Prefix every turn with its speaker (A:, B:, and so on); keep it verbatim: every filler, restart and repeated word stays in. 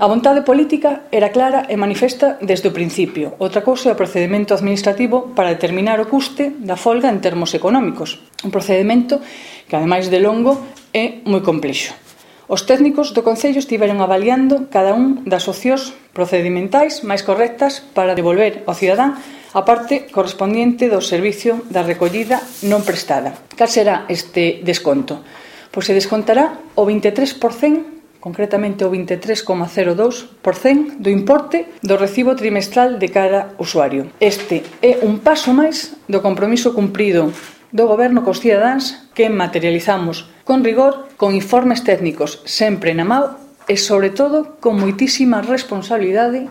A: A vontade política era clara e manifesta desde o principio. Outra cousa é o procedemento administrativo para determinar o custe da folga en termos económicos. Un procedemento que, ademais de longo, é moi complexo. Os técnicos do Concello estiveron avaliando cada un das opcións procedimentais máis correctas para devolver ao cidadán a parte correspondiente do servicio da recollida non prestada. Cal será este desconto? Pois se descontará o vinte e tres por cento, concretamente o vinte e tres coma cero dous por cento do importe do recibo trimestral de cada usuario. Este é un paso máis do compromiso cumprido do Goberno cos cidadáns que materializamos con rigor, con informes técnicos sempre na mao e, sobre todo, con moitísima responsabilidade